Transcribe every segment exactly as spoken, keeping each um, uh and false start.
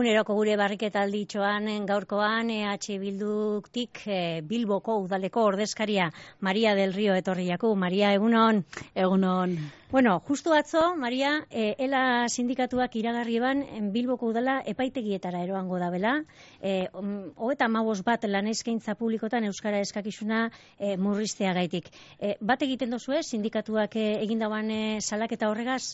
Eguneroko gure barriketa alditxoan gaurkoan E H Bilduktik e, Bilboko udaleko ordezkaria Maria del Rio etorriaku. Maria, egunon. Egunon. Bueno, justu atzo, Maria, e, ELA sindikatuak iragarri eban Bilboko udala epaitegietara eroango da bela. E, Hogeta hamabost bat lan eskaintza publikotan euskara eskakizuna e, murriztea gaitik. E, bat egiten dozue, sindikatuak e, egindaban e, salaketa horregaz?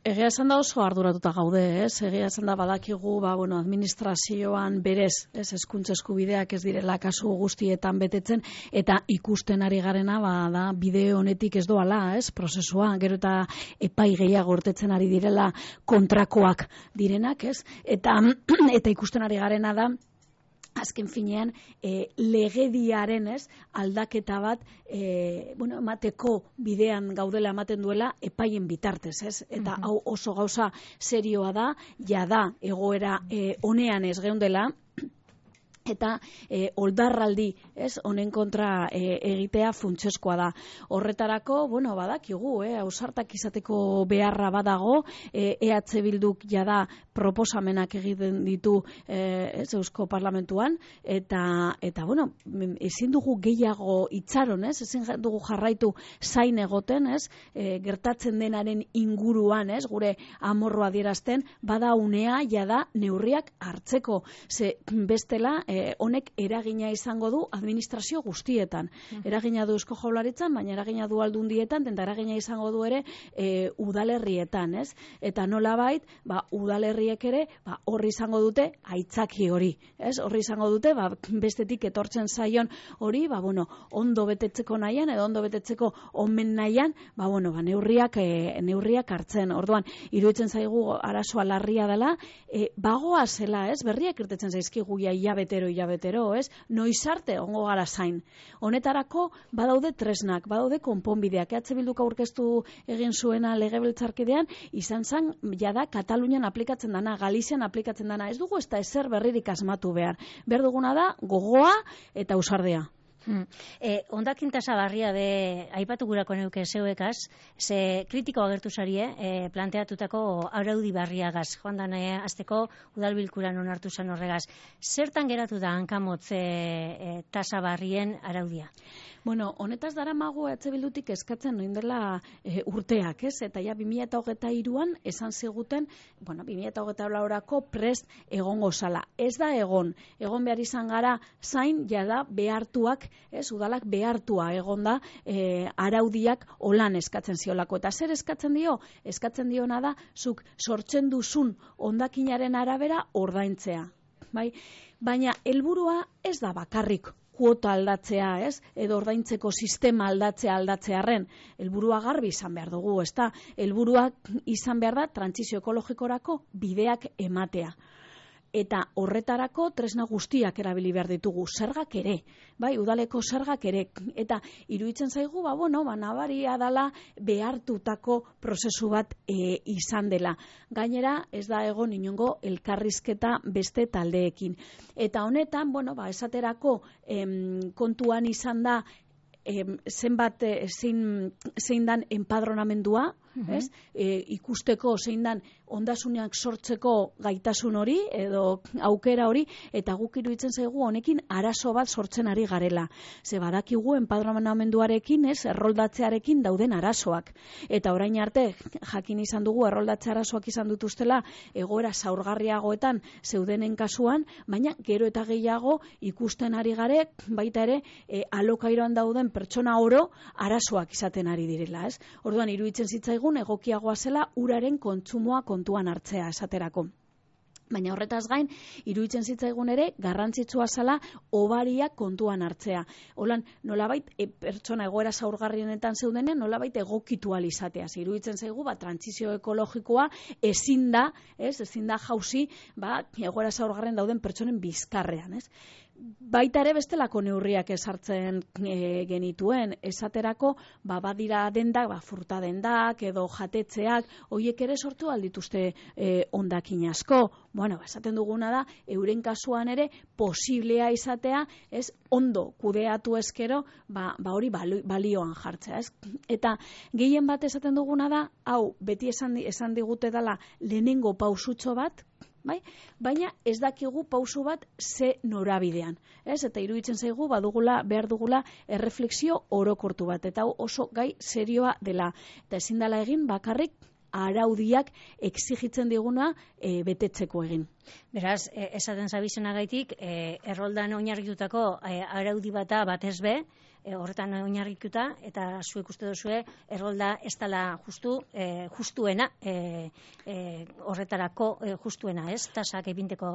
Egia esan da oso arduratuta gaude, ez? Egia esan da badakigu, ba, bueno, administrazioan berez, ez, hezkuntza eskubideak ez direla kasu guztietan betetzen, eta ikusten ari garena, ba, da, bide honetik ez doala, ez, prozesua, gero eta epai gehiago urtetzen ari direla kontrakoak direnak, ez? Eta, eta ikusten ari garena da, azken finean, e, legediaren ez, aldaketa bat e, bueno, emateko bidean gaudela ematen duela epaien bitartez, ez? Eta uh-huh. hau oso gauza serioa da, jada egoera e, honean ez geundela, eta e, oldarraldi, ez, honen kontra e, egitea funtsezkoa da. Horretarako, bueno, badakigu, eh, ausartak izateko beharra badago, e, EH Bilduk jada proposamenak egiten ditu e, ez, Eusko Parlamentuan, eta, eta bueno, ezin dugu gehiago itxaron, ez, ezin dugu jarraitu zain egoten, ez, e, gertatzen denaren inguruan, ez, gure amorroa adierazten, bada unea jada neurriak hartzeko, ze bestela, e, honek eragina izango du administrazio guztietan. Eragina du Eusko Jaurlaritzan, baina eragina du Aldundietan, eta eragina izango du ere e, udalerrietan, ez? Eta nolabait, ba, udalerriek ere, ba, horri izango dute aitzaki hori, ez? Horri izango dute, ba, bestetik etortzen zaion hori, ba, bueno, ondo betetzeko nahian, edo ondo betetzeko omen nahian, ba, bueno, ba, neurriak, e, neurriak hartzen. Orduan, iruditzen zaigu arazoa larria dela, e, bagoa zela, ez? Berriak irtetzen zaizkigu ja hilabetero hilabetero, ez? Noiz arte ongo gara zain. Honetarako badaude tresnak, badaude konponbideak. E H Bilduk aurkeztu egin zuena legebiltzarkidean, izan zen jada Katalunian aplikatzen dana, Galizian aplikatzen dana. Ez dugu ez da ezer berririk asmatu behar. Behar duguna da gogoa eta ausardea. Hmm. E, ondakin tasa barria de aipatu gurako neuke zeuekaz, ze kritiko agertu zarie e, planteatutako araudi barriagaz, joan dan e, azteko udalbilkuran onartu zen horregaz. Zertan geratu da hankamotz e, e, tasa barrien araudia? Bueno, honetaz dara magu E H Bildutik eskatzen noin dela e, urteak, ez? Eta ja bi mila hogeita hiruan esan ziguten, bueno, bi mila hogeita laurako prest egongo zala. Ez da egon, egon behar izan gara zain jada behartuak, ez, udalak behartua egon da e, araudiak holan eskatzen ziolako. Eta zer eskatzen dio? Eskatzen diona da, zuk sortzen duzun hondakinaren arabera ordaintzea. Bai? Baina helburua ez da bakarrik kuota aldatzea, ez? Edo ordaintzeko sistema aldatzea aldatzearren. Helburua garbi izan behar dugu, ezta? Helburua izan behar da trantsizio ekologikorako bideak ematea. Eta horretarako tresna guztiak erabili behar ditugu, zergak ere, bai, udaleko zergak ere, eta iruditzen zaigu, ba, bueno, ba, nabaria dala behartutako prozesu bat e, izan dela. Gainera, ez da egon inongo elkarrizketa beste taldeekin. Eta honetan, bueno, ba, esaterako em, kontuan izan da, em, zenbat, e, zein, zein dan enpadronamendua, uh-huh. ez? E, ikusteko zein dan ondasunak sortzeko gaitasun hori edo aukera hori, eta guk iruditzen zaigu honekin arazo bat sortzen ari garela. Ze badakigu enpadronamenduarekin, ez, erroldatzearekin dauden arazoak. Eta orain arte jakin izan dugu erroldatze arazoak izan dituztela egoera zaurgarriagoetan zeudenen kasuan, baina gero eta gehiago ikusten ari gare, baita ere e, alokairoan dauden pertsona oro arazoak izaten ari direla, ez? Orduan iruditzen zitzaigun egokiagoa zela uraren kontsumoa kontuan hartzea esaterako. Baina horretaz gain, iruditzen zitzaigun ere, garrantzitsua zela obariak kontuan hartzea. Holan, nolabait, e, pertsona egoera zaurgarrienetan zeudenean, nolabait egokitu izatea. Iruditzen zaigu, ba, trantsizio ekologikoa ezin da, ez, ezin da jauzi, ba, egoera zaurgarrien dauden pertsonen bizkarrean, ez. Baita ere bestelako neurriak esartzen e, genituen, esaterako, ba, badira dendak, ba, furta dendak, edo jatetzeak, hoiek ere sortu aldituzte e, hondakin asko. Bueno, esaten duguna da, euren kasuan ere posiblea izatea, ez, ondo kudeatu eskero, ba, ba hori balioan jartzea, ez? Eta gehien bat esaten duguna da, hau, beti esan, esan digute dela lehenengo pausutxo bat, bai? Baina ez dakigu pausu bat ze norabidean, ez? Eta iruditzen zaigu badugula, behar dugula erreflexio orokortu bat, eta oso gai serioa dela. Eta ezin dela egin bakarrik araudiak exigitzen diguna e, betetzeko egin. Beraz, e, esaten zabizenagaitik, e, erroldan oinarritutako e, araudi bata batez be, e, horretan oinarrituta, eta zuek uste duzue, errolda ez dela justu, e, justuena, e, e, horretarako e, justuena, ez? Tasak epinteko...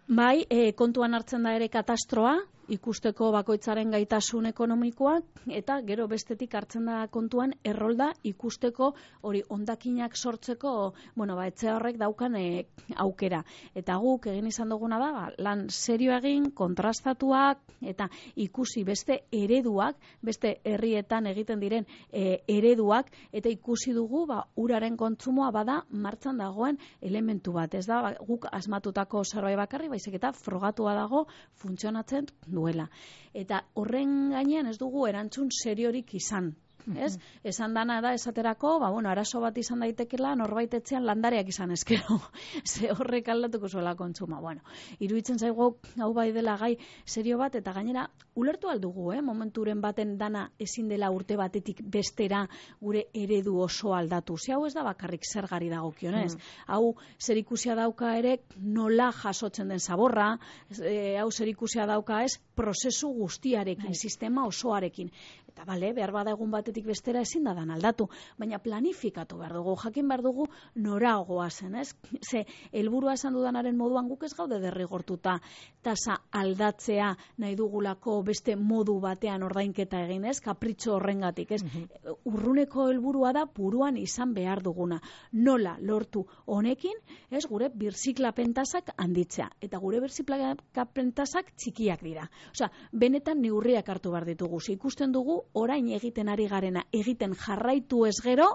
Bai, e, kontuan hartzen da ere katastroa, ikusteko bakoitzaren gaitasun ekonomikoa, eta gero bestetik hartzen da kontuan errolda ikusteko hori hondakinak sortzeko, bueno, ba, etxe horrek daukan e, aukera. Eta guk egin izan duguna da, ba, lan serio egin, kontrastatuak, eta ikusi beste ereduak, beste herrietan egiten diren e, ereduak, eta ikusi dugu, ba, uraren kontsumoa bada martxan dagoen elementu bat. Ez da, ba, guk asmatutako zerbait bakarri, baizik eta frogatua dago funtzionatzen duela. Eta horren gainean ez dugu erantzun seriorik izan. Ez? Esan dana da esaterako, ba, bueno, arazo bat izan daitekela norbait etxean landareak izan eskero. Ze horrek aldatuko zuela kontsuma. Bueno, iruditzen zaigu hau bai dela gai serio bat, eta gainera ulertu aldugu, eh? Momenturen baten dana ezin dela urte batetik bestera gure eredu oso aldatu. Ze hau ez da bakarrik zergari dagokionez. Mm. Hau zerikusia dauka ere nola jasotzen den zaborra, e, hau zerikusia dauka ez prozesu guztiarekin, Hai. sistema osoarekin. Eta bale, behar bada egun batetik bestera ezin da dan aldatu, baina planifikatu behar dugu, jakin behar dugu noragoa zen, ez? Ze, helburua esan dudanaren moduan guk ez gaude derrigortuta tasa aldatzea nahi dugulako beste modu batean ordainketa egin, ez? Kapritxo horrengatik, ez? Mm-hmm. Urruneko helburua da buruan izan behar duguna. Nola lortu honekin, ez? Gure birziklapen tasak handitzea. Eta gure birziklapen tasak txikiak dira. Osea, benetan neurriak hartu behar ditugu. Ze ikusten dugu orain egiten ari garena, egiten jarraitu ez gero,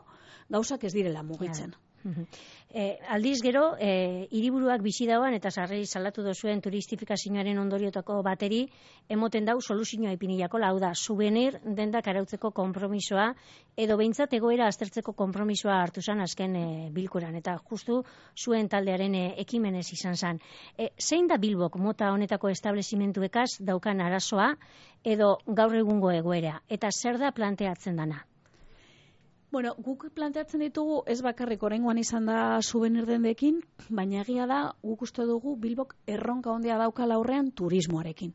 gauzak ez direla mugitzen. E, aldiz gero, e, hiriburuak bizi dauan eta sarri salatu dozuen turistifikazioaren ondoriotako bateri, emoten dau soluzioa ipinilako, lau da, souvenir dendak arautzeko konpromisoa, edo behintzat egoera aztertzeko konpromisoa hartu zan azken e, bilkuran, eta justu zuen taldearen e, ekimenez izan zan. E, zein da Bilbok mota honetako establezimentuekaz daukan arazoa, edo gaur egungo egoera, eta zer da planteatzen dana? Bueno, guk planteatzen ditugu ez bakarrik oraingoan izan da souvenir dendekin, baina egia da guk uste dugu Bilbok erronka handia daukala aurrean turismoarekin.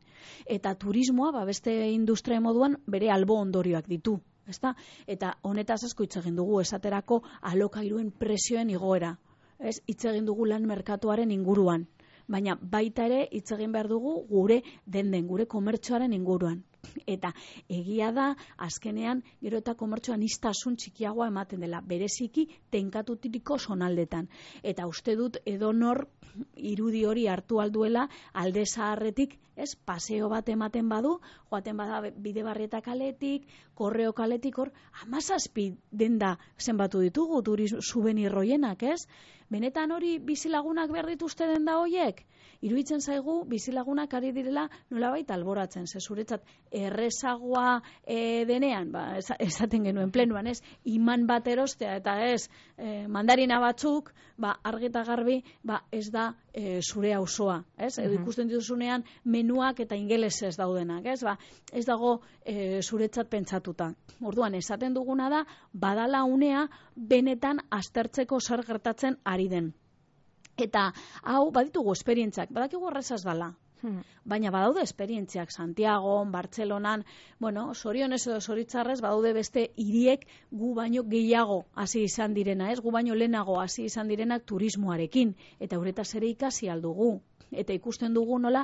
Eta turismoa, ba, beste industria moduan bere albo ondorioak ditu, ezta? Eta honetaz asko hitz egin dugu esaterako alokairuen presioen igoera. Ez, hitz egin dugu lan merkatuaren inguruan, baina baita ere hitz egin behar dugu gure denden, gure komertzoaren inguruan. Eta egia da, azkenean, gero eta komertzoan iztasun txikiagoa ematen dela, bereziki tenkatutiriko sonaldetan. Eta uste dut edonor irudi hori hartu alduela alde zaharretik, ez, paseo bat ematen badu, joaten bada bide barrieta kaletik, korreo kaletik, hor, hamazazpi denda zenbatu ditugu turismo souvenir hoienak, ez? Benetan hori bizilagunak behar dituzte denda hoiek? Iruditzen zaigu bizilagunak ari direla nolabait alboratzen, ze zuretzat errezagoa e, denean, ba, esaten genuen plenuan, ez, iman bat erostea eta ez e, mandarina batzuk, ba, argita garbi, ba, ez da e, zure auzoa, ez? Uh-huh. Edo ikusten dituzunean menuak eta ingelesez daudenak, ez? Ba, ez dago e, zuretzat pentsatuta. Orduan, esaten duguna da, badala unea benetan aztertzeko zer gertatzen ari den. Eta hau baditugu esperientziak, badakigu horrezaz dala. Hmm. Baina badaude esperientziak Santiago, Bartzelonan, bueno, sorionez edo zoritzarrez badaude beste hiriek gu baino gehiago hasi izan direna, ez? Gu baino lehenago hasi izan direnak turismoarekin, eta uretaz ere ikasi aldugu. Eta ikusten dugu nola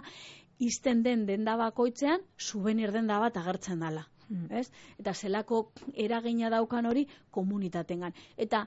izten den denda bakoitzean souvenir denda bat agertzen dela. Hmm. Ez? Eta zelako eragina daukan hori komunitatengan. Eta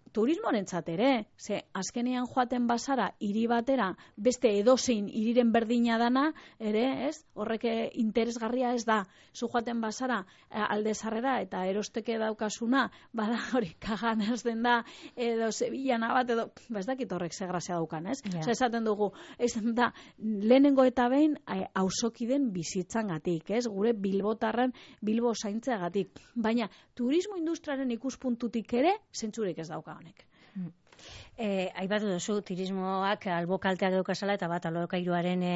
turismorentzat ere, ze azkenean joaten bazara hiri batera beste edozein hiriren berdina dana, ere, ez? Horrek interesgarria ez da. Zu joaten bazara alde zarrera eta erosteke daukasuna, bada hori Kaganaz den da, edo Sevillana bat, edo, ba ez dakit horrek ze grazia daukan, ez? Yeah. Osa, esaten dugu, ez da, lehenengo eta behin auzokiden bizitzangatik, ez? Gure bilbotarren Bilbo zaintzeagatik. Baina turismo industriaren ikuspuntutik ere zentzurik ez dauka honek. E, aipatu duzu, turismoak albokalteak daukazala eta bat alokairuaren e,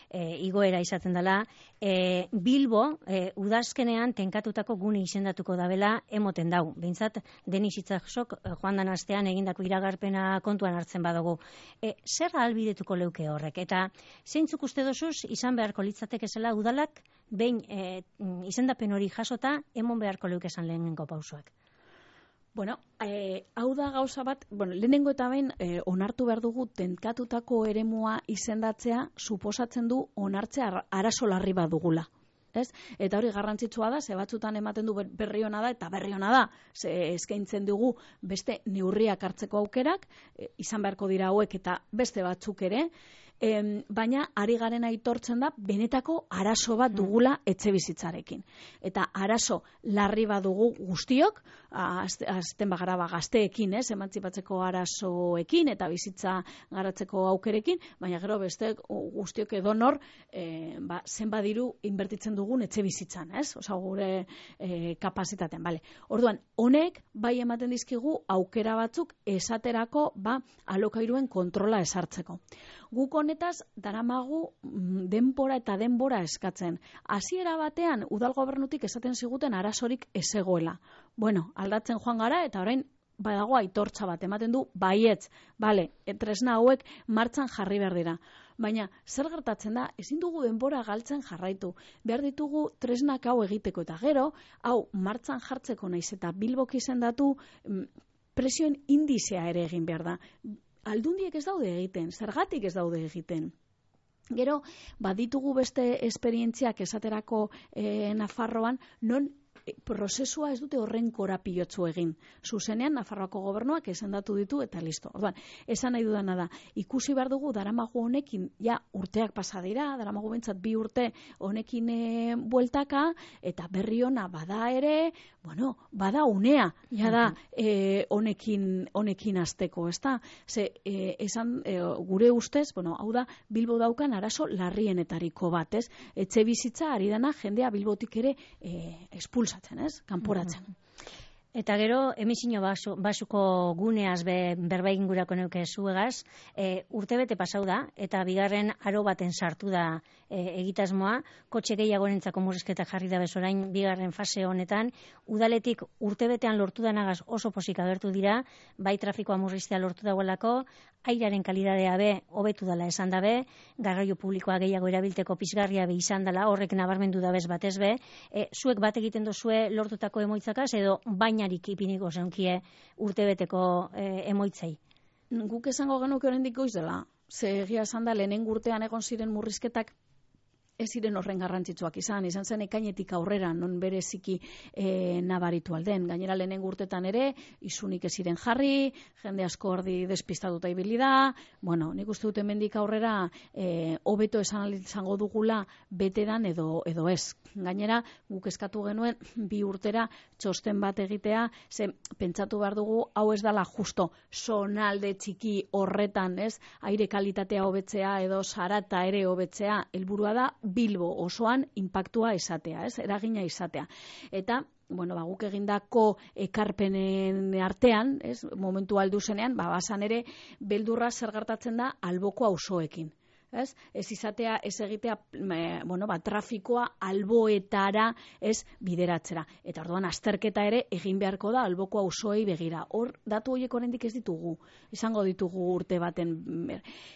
e, igoera izaten dela. E, Bilbo, e, udazkenean tenkatutako gune izendatuko dabela emoten dau. Behintzat, Denis Itxasok joan dan astean egindako iragarpena kontuan hartzen badugu. E, zer ahalbidetuko leuke horrek? Eta zeintzuk uste dozuz, izan beharko litzateke zela udalak, behin e, izendapen hori jasota, emon beharko leuke esan lehenengo pausoak? Bueno, eh, hau da gauza bat, bueno, lehenengo eta behin eh, onartu behar dugu tenkatutako eremua izendatzea suposatzen du onartzea arazo larri bat dugula. Ez? Eta hori garrantzitsua da, ze batzutan ematen du berri ona da, eta berri ona da, ze eskaintzen dugu beste neurriak hartzeko aukerak, e, izan beharko dira hauek eta beste batzuk ere, e, baina ari garen aitortzen da, benetako arazo bat dugula etxebizitzarekin. Eta arazo larri bat dugu guztiok, azten bagara ba, gazteekin, ez, emantzipatzeko arazoekin eta bizitza garatzeko aukerekin, baina gero beste guztiok edonor, e, ba, zenba diru inbertitzen dugun etxe bizitzan, ez? Osa, gure e, kapazitatean, bale. Orduan, honek bai ematen dizkigu aukera batzuk esaterako, ba, alokairuen kontrola esartzeko. Guk honetaz daramagu denbora eta denbora eskatzen. Hasiera batean udal gobernutik esaten ziguten arazorik ezegoela. Bueno, aldatzen joan gara eta orain badago aitortza bat ematen du baietz, bale, tresna hauek martxan jarri behar dira. Baina zer gertatzen da, ezin dugu denbora galtzen jarraitu. Behar ditugu tresnak hau egiteko eta gero, hau martxan jartzeko naiz eta Bilbok izendatu presioen indizea ere egin behar da. Aldundiek ez daude egiten, zergatik ez daude egiten. Gero, baditugu beste esperientziak esaterako e, Nafarroan, non e, prozesua ez dute horren korapilotzu egin. Zuzenean, Nafarroako gobernuak esendatu ditu eta listo. Orduan, esan nahi dudana da, ikusi behar dugu daramagu honekin, ja urteak pasa dira, daramagu bentsat bi urte honekin e, bueltaka, eta berri ona bada ere, bueno, bada unea, ja da e, honekin, honekin azteko, ez da? Ze, e, esan, e, gure ustez, bueno, hau da, Bilbo daukan arazo larrienetariko bat, ez? Etxe bizitza ari dana jendea Bilbotik ere e, espulsatzen, ez? Kanporatzen. Eta gero, emisino basu, basuko guneaz be, berba ingurako neuke zuegaz, e, urtebete pasau da, eta bigarren aro baten sartu da e, egitasmoa, kotxe gehiagorentzako murrizketak jarri da bezorain bigarren fase honetan, udaletik urtebetean lortu danagaz oso posik agertu dira, bai trafikoa murriztea lortu dagoelako, airaren kalidadea be, hobetu dela esan dabe, garraio publikoa gehiago erabilteko pizgarria be izan dela, horrek nabarmendu dabez batez be, e, zuek bat egiten dozue lortutako emoitzakaz, edo baina ipiniko zenkie urtebeteko e, emoitzei. Guk esango genuke oraindik goiz dela. Ze egia esan da lehenen urtean egon ziren murrizketak ez ziren horren garrantzitsuak izan, izan zen ekainetik aurrera, non bereziki e, nabaritu alden. Gainera lehenen urtetan ere, isunik ez ziren jarri, jende asko ordi despistatuta ibili da, bueno, nik uste dut hemendik aurrera e, hobeto esan izango dugula betedan edo, edo ez. Gainera, guk eskatu genuen bi urtera txosten bat egitea, ze pentsatu behar dugu, hau ez dala justo zonalde txiki horretan, ez, aire kalitatea hobetzea edo zarata ere hobetzea, helburua da Bilbo osoan inpaktua izatea, ez? Eragina izatea. Eta, bueno, ba, guk egindako ekarpenen artean, ez? Momentu aldu zenean, ba, basan ere, beldurra zer gertatzen da alboko auzoekin. Ez? Ez izatea, ez egitea, e, bueno, ba, trafikoa alboetara ez bideratzera. Eta orduan azterketa ere egin beharko da alboko auzoei begira. Hor, datu horiek oraindik ez ditugu, izango ditugu urte baten.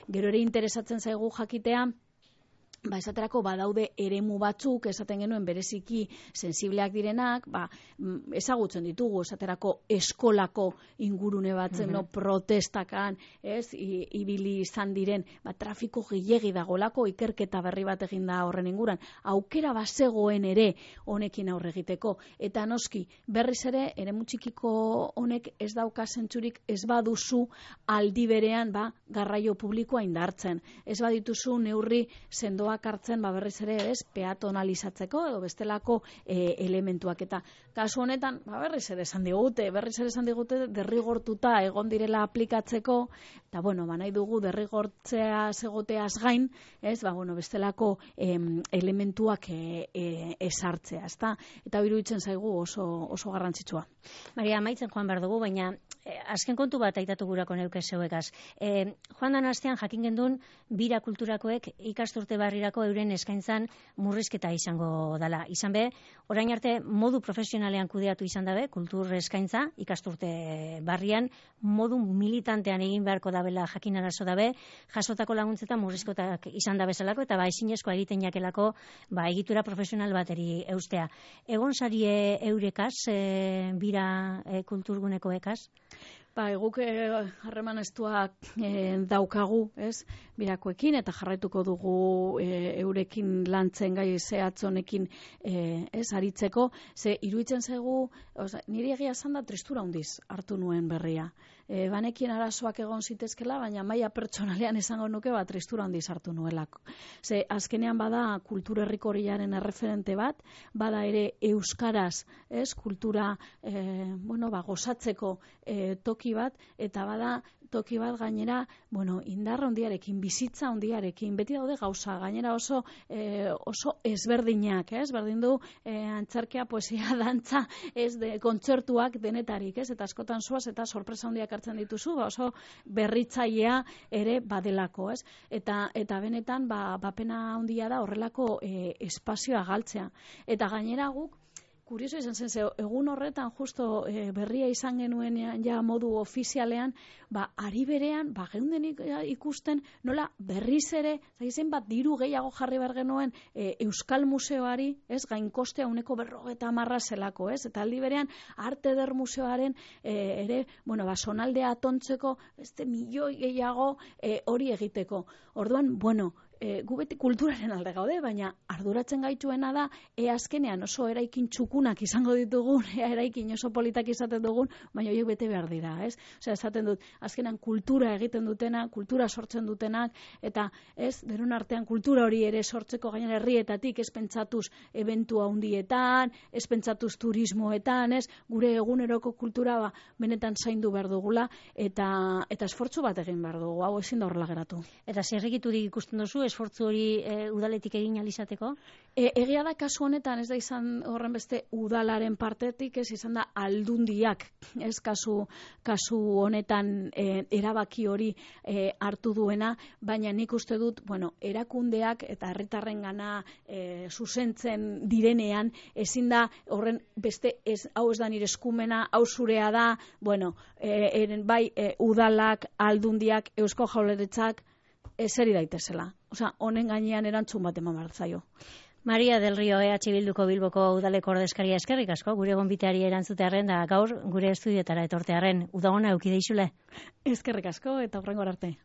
Gero ere interesatzen zaigu jakitea, ba, esaterako badaude eremu batzuk, esaten genuen bereziki sensibleak direnak, ba, ezagutzen ditugu, esaterako eskolako ingurune batzen, no, protestakan, ez, I, ibili izan diren, ba, trafiko gehiegi dagolako, ikerketa berri bat egin da horren inguran, aukera bazegoen ere honekin aurre egiteko, eta noski, berriz ere, eremu txikiko honek ez dauka zentzurik, ez baduzu aldi berean, ba, garraio publikoa indartzen, ez badituzu neurri sendoa probak hartzen ba berriz ere, ez, peatonalizatzeko edo bestelako e, elementuak eta kasu honetan ba berriz ere esan digute, berriz ere esan digute derrigortuta egon direla aplikatzeko eta bueno, ba nahi dugu derrigortzea egoteaz gain, ez, ba bueno, bestelako em, elementuak e, e, esartzea, ezta? Eta iruditzen zaigu oso oso garrantzitsua. Maria, amaitzen joan behar dugu, baina eh, azken kontu bat aitatu gurako neuke zeuekaz. Eh, joan dan astean jakin gendun bira kulturakoek ikasturte barrirako euren eskaintzan murrizketa izango dela. Izan be, orain arte modu profesionalean kudeatu izan dabe, kultur eskaintza ikasturte barrian, modu militantean egin beharko dabela jakin arazo dabe, jasotako laguntzetan murrizkotak izan da bezalako eta ba ezinezkoa egiten jakelako ba egitura profesional bateri eustea. Egon sarie eurekaz, e, bira e, kulturguneko ekaz? Ba, eguk harreman estuak e, daukagu, ez, birakoekin, eta jarraituko dugu e, eurekin lantzen gai zehatzonekin e, ez, aritzeko, ze iruditzen zaigu, oza, niri egia esan da tristura handiz hartu nuen berria. E, banekien arazoak egon zitezkela, baina maila pertsonalean esango nuke bat tristura handiz hartu nuelako. Ze azkenean bada kultur herrikoriaren erreferente bat, bada ere euskaraz, ez, kultura e, bueno, ba, gozatzeko e, toki bat, eta bada toki bat gainera, bueno, indar handiarekin, bizitza handiarekin, beti daude gauza, gainera oso eh, oso ezberdinak, ez? Berdin du eh, antzerkia, poesia, dantza, ez de kontzertuak denetarik, ez? Eta askotan zoaz eta sorpresa handiak hartzen dituzu, ba, oso berritzailea ere badelako, ez? Eta eta benetan ba bapena handia da horrelako eh, espazioa galtzea. Eta gainera guk kurioso izan zen, ze, egun horretan justo e, berria izan genuen ja modu ofizialean, ba, ari berean, ba, geunden ikusten, nola berriz ere, zaizen bat diru gehiago jarri behar genuen e, Euskal Museoari, ez, gainkostea uneko berrogeta marra zelako, ez, eta aldi berean, Arte Eder Museoaren e, ere, bueno, ba, sonaldea atontzeko, beste milioi gehiago e, hori egiteko. Orduan, bueno, E, gu beti kulturaren alde gaude, baina arduratzen gaituena da, e azkenean oso eraikin txukunak izango ditugun, e eraikin oso politak izaten dugun, baina horiek bete behar dira, ez? Osea, esaten dut, azkenean kultura egiten dutena, kultura sortzen dutenak, eta ez, denon artean kultura hori ere sortzeko gainera herrietatik, ez pentsatuz eventu handietan, ez pentsatuz turismoetan, ez, gure eguneroko kultura ba, benetan zaindu behar dugula, eta, eta esfortzu bat egin behar dugu, hau ezin da horrela geratu. Eta zerrikiturik ikusten duzu, esfortzu hori e, udaletik egin alizateko? E, egia da kasu honetan, ez da izan horren beste udalaren partetik, ez izan da aldundiak, ez kasu, kasu honetan e, erabaki hori e, hartu duena, baina nik uste dut, bueno, erakundeak eta herritarren gana e, zuzentzen direnean, ezin da horren beste, ez, hau ez da nire eskumena, hau zurea da, bueno, e, eren, bai e, udalak, aldundiak, Eusko Jaurlaritzak, ezeri daitezela. Osea, honen gainean erantzun bat eman behar zaio. Maria del Rio, E H Bilduko Bilboko udaleko ordezkaria, eskerrik asko, gure gonbiteari erantzutearren da gaur gure estudioetara etortearren. Udagona eukide izule. Eskerrik asko eta hurrengora arte.